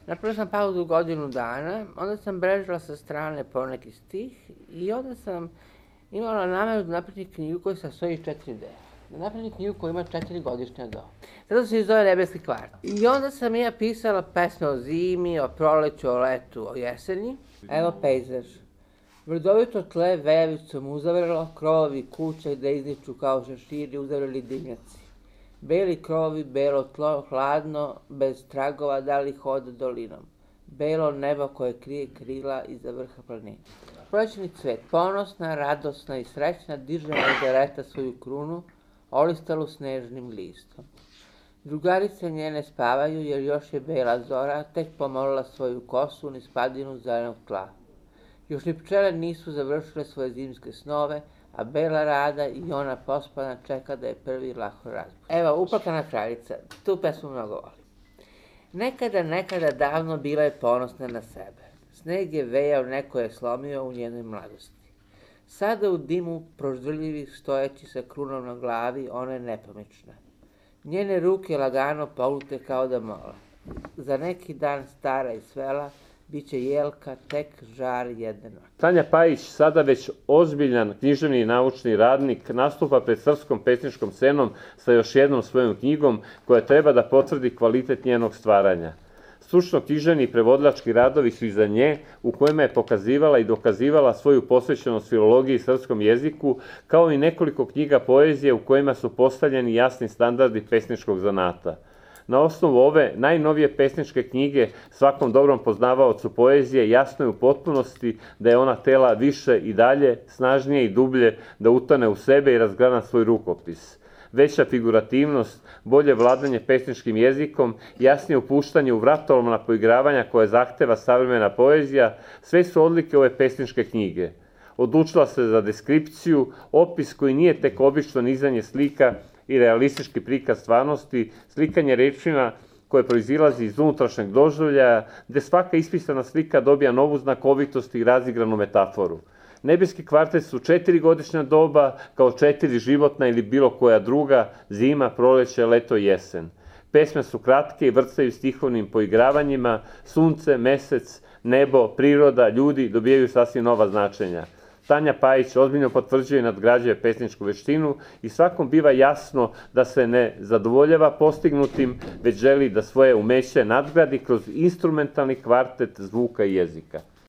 Napravila sam pauzu godinu dana, onda sam brežila sa strane poneki stih i onda sam imala nameru da napravim knjigu koja se sastoji iz 4 dela. Da napravim knjigu koja ima 4 godišnja doba. Zato se zove Nebeski kvart. I onda sam ja pisala pesme o zimi, o proleću, o letu, o jeseni. Evo pejzaž. Vrdovito tle vejavicom uzavrlo, krovovi kuća gde izniču kao šeširi uzavreli dimnjaci. Beli krovovi, belo tlo, hladno, bez tragova dali hoda dolinom. Belo nebo koje krije krila iza vrha planine. Prolećni cvet, ponosna, radosna i srećna, diže Margareta svoju krunu, olistalu snežnim listom. Drugarice njene spavaju jer još je bela zora, tek pomolila svoju kosu niz padinu zelenog tla. Još ni pčele nisu završile svoje zimske snove, a bela rada i ona pospana čeka da je prvi lahko razbudi. Evo, Uplakana kraljica, tu pesmu mnogo volim. Nekada davno bila je ponosna na sebe. Sneg je vejao, neko je slomio u njenoj mladosti. Sada u dimu proždrljivih stojeći sa krunom na glavi, ona je nepomična. Njene ruke lagano polute kao da mole. Za neki dan stara i svela, biće jelka tek žar jedne noći. Tanja Pajić, sada već ozbiljan književni i naučni radnik, nastupa pred srpskom pesničkom scenom sa još jednom svojom knjigom koja treba da potvrdi kvalitet njenog stvaranja. Stručno književni i prevodilački radovi su iza nje, u kojima je pokazivala i dokazivala svoju posvećenost filologiji i srpskom jeziku, kao i nekoliko knjiga poezije u kojima su postavljeni jasni standardi pesničkog zanata. Na osnovu ove najnovije pesničke knjige svakom dobrom poznavaocu poezije jasno je u potpunosti da je ona htela više i dalje, snažnije i dublje da utane u sebe i razgrana svoj rukopis. Veća figurativnost, bolje vladanje pesničkim jezikom, jasnije upuštanje u vratolomna poigravanja koje zahteva savremena poezija, sve su odlike ove pesničke knjige. Odlučila se za deskripciju, opis koji nije tek obično nizanje slika i realistički prikaz stvarnosti, slikanje rečima koje proizilazi iz unutrašnjeg doživljaja, gde svaka ispisana slika dobija novu znakovitost i razigranu metaforu. Nebeski kvartet su 4 godišnja doba, kao 4 životna ili bilo koja druga, zima, proleće, leto i jesen. Pesme su kratke i vrcaju stihovnim poigravanjima, sunce, mesec, nebo, priroda, ljudi dobijaju sasvim nova značenja. Tanja Pajić ozbiljno potvrđuje i nadgrađuje pesničku veštinu i svakom biva jasno da se ne zadovoljava postignutim, već želi da svoje umeće nadgradi kroz instrumentalni kvartet zvuka i jezika.